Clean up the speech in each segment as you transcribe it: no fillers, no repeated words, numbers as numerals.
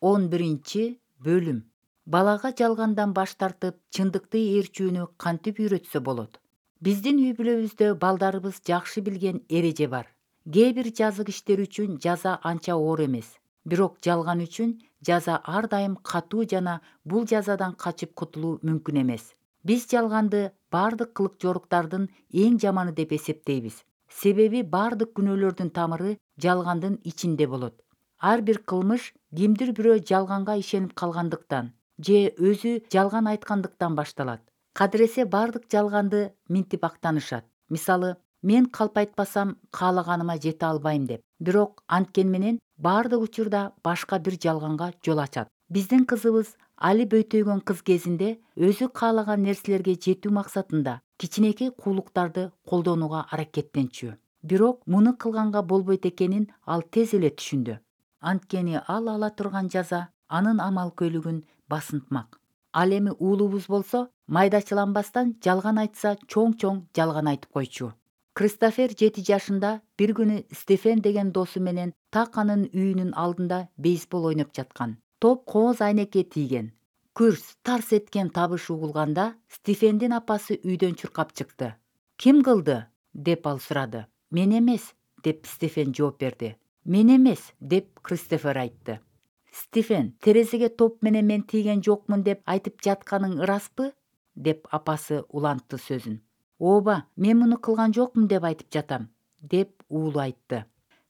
11-бөлүм. Балага жалгандан баш тартып, чындыкты ээрчүүнү кантип үйрөтсө болот? Биздин үй-бүлөбүздө балдарыбыз жакшы билген эреже бар. Кээ бир жазык иштер үчүн жаза анча оор эмес. Бирок жалган үчүн жаза ар дайым катуу жана бул жазадан качып кутулуу мүмкүн эмес. Биз жалганды бардык кылык жоруктардын эң жаманы деп эсептейбиз. Себеби бардык күнөөлөрдүн тамыры жалгандын ичинде болот. Ар бир кылмыш кимдир бирөө жалганга ишенип калгандыктан же өзү жалган айткандыктан башталат. Кадыресе бардык жалганды минтип актанышат. Мисалы, мен калп айтпасам каалаганыма жете албайм деп. Бирок анткени менен бардык учурда башка бир жалганга жол ачат. Биздин кызыбыз али бөйтөйгөн кыз кезинде өзү каалаган нерселерге жетүү максатында кичинекей куулуктарды колдонууга аракеттенчү. Бирок муну кылганга болбойт экенин ал тез эле түшүндү. Анткени ал ала турган жаза анын амал-көйлөгүн басынтмак. Ал эми уулубуз болсо майдачыланбастан жалган айтса чоң-чоң жалган айтып койчу. Кристофер 7 жашында бир күнү Стефен деген досу менен так анын үйүнүн алдында бейсбол ойноп жаткан. Топ кооз айнекке тийген. Күрс тарс эткен табыш угулганда Стефендин апасы үйдөн чуркап чыкты. Ким кылды? Деп ал сурады. Мен эмес, деп Стефен жооп берди. Мен эмес, деп Кристофер айтты. Стефен, терезеге топ менен мен тийген жокмун деп айтып жатканың ыраспы? Деп апасы улантты сөзүн. Ооба, мен муну кылган жокмун деп айтып жатам, деп уулу айтты.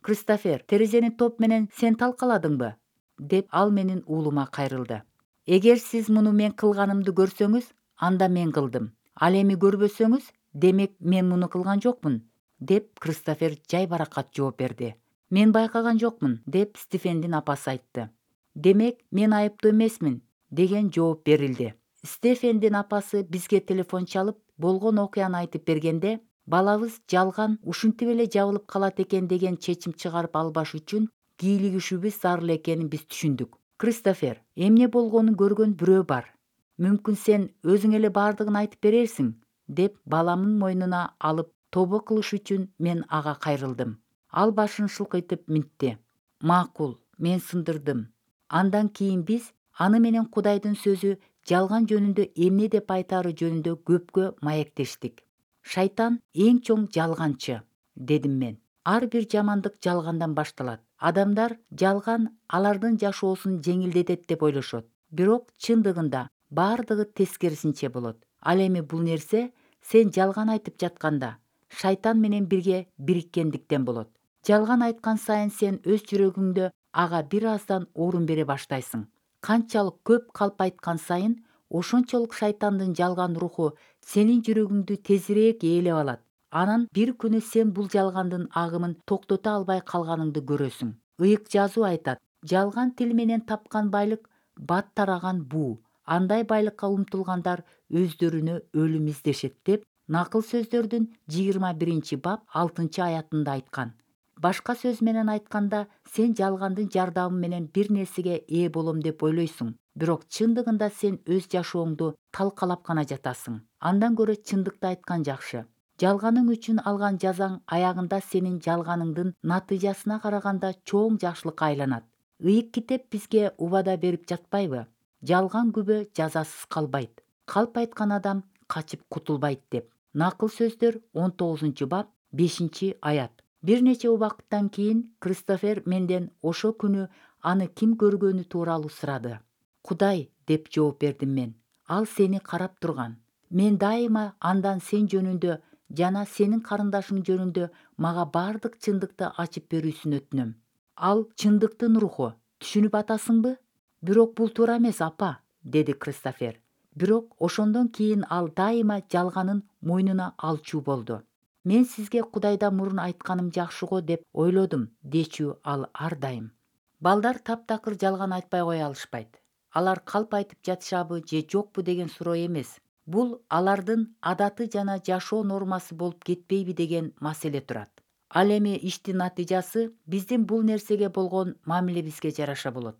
Кристофер, терезени топ менен сен талкаладыңбы? Деп ал менин уулума кайрылды. Эгер сиз муну мен кылганымды көрсөңүз, анда мен кылдым. Ал эми көрбөсөңүз, демек мен муну кылган жокмун, деп Кристофер жай баракат жооп берди. Мен байкаган жокмун, деп Стефендин апасы айтты. Демек, мен айыптуу эмесмин, деген жооп берилди. Стефендин апасы бизге телефон чалып, болгон окуяны айтып бергенде, балабыз жалган ушинтип эле жабылып калат экен деген чечим чыгарып албаш үчүн кийлигишүүбүз зарыл экенин биз түшүндүк. Кристофер, эмне болгонун көргөн бирөө бар. Мүмкүн сен өзүң эле бардыгын айтып берерсиң, деп баламын мойнуна алып тобо кылыш үчүн мен ага кайрылдым. Ал башын шылкыйтып минтти. Макул, мен сындырдым. Андан кийин биз аны менен Кудайдын сөзү жалган жөнүндө эмне деп айтаары жөнүндө көпкө маектештик. Шайтан эң чоң жалганчы, дедим мен. Ар бир жамандык жалгандан башталат. Адамдар жалган алардын жашоосун жеңилдетет деп ойлошот. Бирок чындыгында бардыгы тескерисинче болот. Ал эми бул нерсе сен жалган айтып жатканда шайтан менен бирге бириккендиктен болот. Жалган айткан сайын сен өз жүрөгүңдө ага бир аздан орун бере баштайсың. Канчалык көп калп айткан сайын ошончолук шайтандын жалган руху сенин жүрөгүңдү тезирээк ээлеп алат. Анан бир күнү сен бул жалгандын агымын токтото албай калганыңды көрөсүң. Ыйык жазуу айтат: жалган тил менен тапкан байлык бат тараган буу. Андай байлыкка умтулгандар өздөрүнө өлүм издешет, деп Накыл сөздөрдүн 21-бап 6-аятында айткан. Башка сөз менен айтканда, сен жалгандын жардамы менен бир нерсеге ээ болом деп ойлойсуң, бирок чындыгында сен өз жашооңду талкалап гана жатасың. Андан көрө чындыкты айткан жакшы. Жалганың үчүн алган жазаң аягында сенин жалганыңдын натыйжасына караганда чоң жакшылыкка айланат. Ыйык китеп бизге убада берип жатпайбы? Жалган күбө жазасыз калбайт. Калп айткан адам качып кутулбайт деп. Накыл сөздөр 19-бап 5-аят. Бир нече убакыттан кийин Кристофер менден ошо күнү аны ким көргөнү тууралуу сурады. Кудай, деп жооп бердим мен. Ал сени карап турган. Мен дайыма андан сен жөнүндө жана сенин карындашың жөнүндө мага бардык чындыкты ачып берүүсүн өтүнөм. Ал чындыктын руху. Түшүнүп атасыңбы? Бирок бул туура эмес, апа, деди Кристофер. Бирок ошондон кийин ал дайыма жалганын мойнуна алчу болду. Мен сизге Кудайдан мурун айтканым жакшы го деп ойлодум, дечү ал ар дайым. Балдар таптакыр жалган айтпай кое алышпайт. Алар калп айтып жатышабы же жокпу деген суроо эмес. Бул алардын адаты жана жашоо нормасы болуп кетпейби деген маселе турат. Ал эми иштин натыйжасы биздин бул нерсеге болгон мамилебизге жараша болот.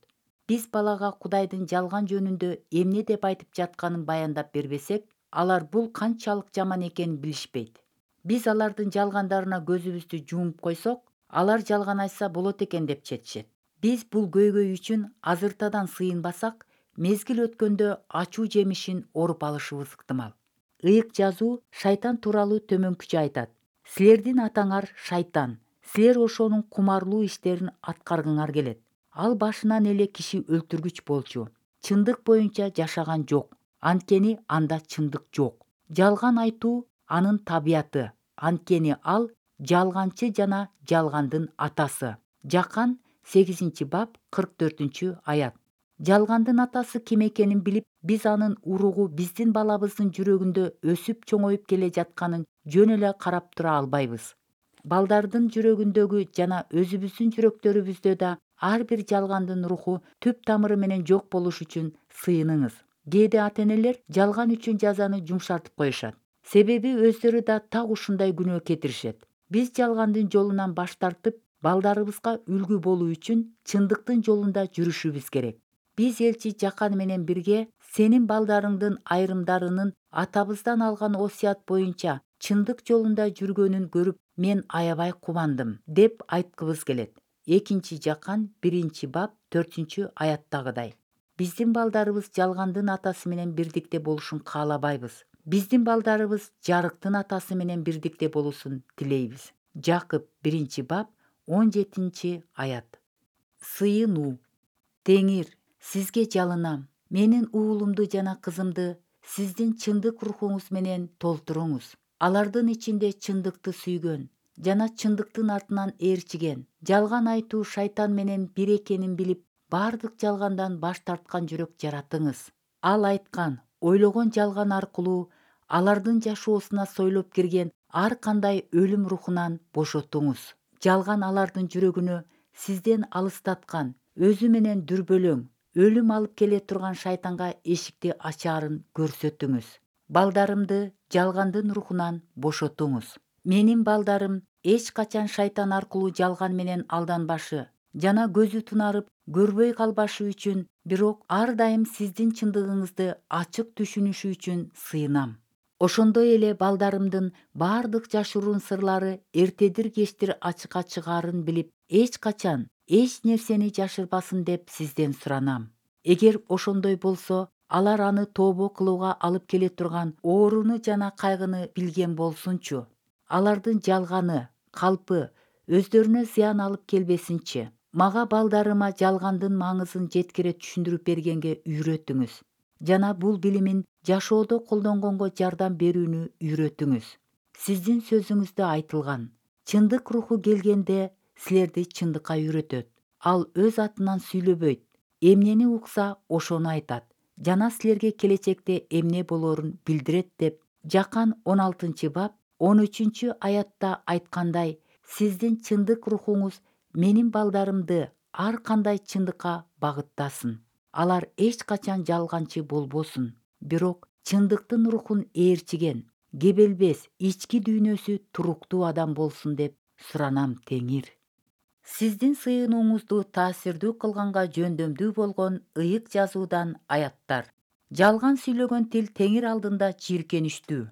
Биз балага Кудайдын жалган жөнүндө эмне деп айтып жатканын баяндап бербесек, алар бул канчалык жаман экенин билишпейт. Биз алардын жалгандарына көзүбүздү жумуп койсок, алар жалган айтса болот экен деп четишет. Биз бул көйгөй үчүн азыртадан сыйынбасак, мезгил өткөндө ачуу жемишин оруп алышыбыз ыктымал. Ыйык жазуу шайтан тууралуу төмөнкүчө айтат: силердин атаңар шайтан, силер ошонун кумарлуу иштерин аткаргыңар келет. Ал башынан эле киши өлтүргүч болчу, чындык боюнча жашаган жок, анткени анда чындык жок. Жалган айтуу анын табияты, анткени ал жалганчы жана жалгандын атасы. Жакан 8-бап 44-аят. Жалгандын атасы ким экенин билип, биз анын уругу биздин балабыздын жүрөгүндө өсүп чоңоюп келе жатканын жөн эле карап тура албайбыз. Балдардын жүрөгүндөгү жана өзүбүздүн жүрөктөрүбүздө да ар бир жалгандын руху түп тамыры менен жок болуш үчүн сыйыныңыз. Кээде ата-энелер жалган үчүн жазаны жумшартып коюшат. Себеби өздөрү да так ушундай күнөө кетиришет. Биз жалгандын жолунан баш тартып, балдарыбызга үлгү болуу үчүн чындыктын жолунда жүрүшүбүз керек. Биз элчи Жакан менен бирге сенин балдарыңдын айрымдарынын атабыздан алган осуят боюнча чындык жолунда жүргөнүн көрүп, мен аябай кубандым деп айткыбыз келет. 2 Жакан 1-бап 4-аяттагыдай. Биздин балдарыбыз жалгандын атасы менен бирдикте болушун каалабайбыз. Биздин балдарыбыз жарыктын атасы менен бирдикте болуусун тилейбиз. Жакып 1-бап 17-аят. Сыйынуу. Теңир, сизге жалынам. Менин уулумду жана кызымды сиздин чындык рухуңуз менен толтуруңуз. Алардын ичинде чындыкты сүйгөн жана чындыктын артынан ээрчиген, жалган айтуу шайтан менен бир экенин билип, бардык жалгандан баш тарткан жүрөк жаратыңыз. Ал айткан, ойлогон жалган аркылуу алардын жашоосуна сойлоп кирген ар кандай өлүм рухунан бошотуңуз. Жалган алардын жүрөгүнө сизден алыстаткан, өзү менен дүрбөлөң, өлүм алып келе турган шайтанга эшикти ачаарын көрсөтүңүз. Балдарымды жалгандын рухунан бошотуңуз. Менин балдарым эч качан шайтан аркылуу жалган менен алданбашы жана көзү тунарып көрбөй калбашы үчүн, бирок ар дайым сиздин чындыгыңызды ачык түшүнүшү үчүн сыйынам. Ошондой эле балдарымдын бардык жашыруун сырлары эртедир-кечтир ачыкка чыгаарын билип, эч качан эч нерсени жашырбасын деп сизден суранам. Эгер ошондой болсо, алар аны тообо кылууга алып келе турган ооруну жана кайгыны билген болсунчу. Алардын жалганы, калпы өздөрүнө зыян алып келбесинчи. Мага балдарыма жалгандын маңызын жеткире түшүндүрүп бергенге үйрөтүңүз жана бул билимин жашоодо колдонгонго жардам берүүнү үйрөтүңүз. Сиздин сөзүңүздө айтылган, чындык руху келгенде силерди чындыкка үйрөтөт. Ал өз атынан сүйлөбөйт, эмнени укса ошону айтат жана силерге келечекте эмне болоорун билдирет деп Жакан 16-бап 13-аятта айткандай, сиздин чындык рухуңуз менин балдарымды ар кандай чындыкка багыттасын. Алар эч качан жалганчы болбосун, бирок чындыктын рухун ээрчиген, кебелбес, ички дүйнөсү туруктуу адам болсун деп суранам, Теңир. Сиздин сыйынууңузду таасирдүү кылганга жөндөмдүү болгон ыйык жазуудан аяттар. Жалган сүйлөгөн тил Теңир алдында жийиркеничтүү.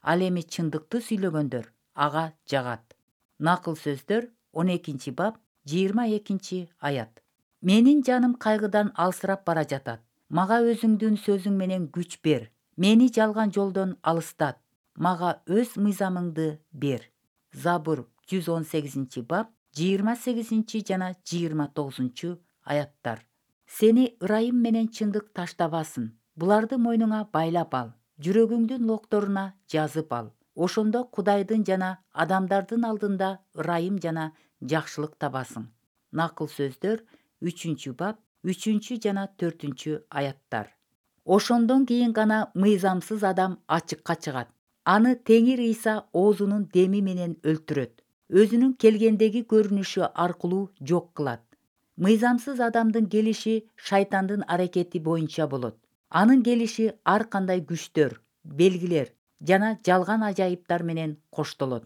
Ал эми чындыкты сүйлөгөндөр ага жагат. Накыл сөздөр 12-бап 22-аят. Менин жаным кайгыдан алсырап бара жатат. Мага өзүңдүн сөзүң менен күч бер. Мени жалган жолдон алыстат. Мага өз мыйзамыңды бер. Забур 118-бап 28 жана 29-аяттар. Сени ырайым менен чындык таштабасын. Буларды мойнуңа байлап ал. Жүрөгүңдүн локторуна жазып ал. Ошондо Кудайдын жана адамдардын алдында ырайым жана жакшылык табасың. Накыл сөздөр 3-бап 3 жана 4-аяттар. Ошондон кийин гана мыйзамсыз адам ачыкка чыгат. Аны Теңир Ыйса оозунун деми менен өлтүрөт. Өзүнүн келгендеги көрүнүшү аркылуу жок кылат. Мыйзамсыз адамдын келиши шайтандын аракети боюнча болот. Анын келиши ар кандай күчтөр, белгилер жана жалган ажайыптар менен коштолот.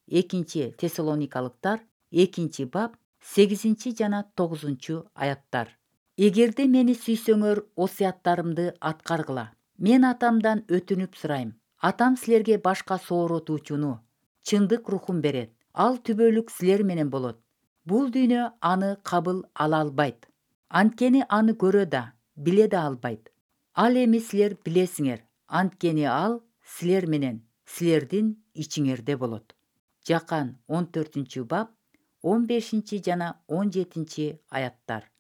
2 Тессалоникалыктар 2-бап 8 жана 9-аяттар. Эгерде мени сүйсөңөр, осуяттарымды аткаргыла. Мен атамдан өтүнүп сурайм. Атам силерге башка сооротуучуну, чындык рухун берет. Ал түбөлүк силер менен болот. Бул дүйнө аны кабыл ала албайт. Анткени аны көрө да, биле да албайт. Ал эми силер билесиңер, анткени ал силер менен, силердин ичиңерде болот. Жакан 14-бап 15 жана 17 аяттар.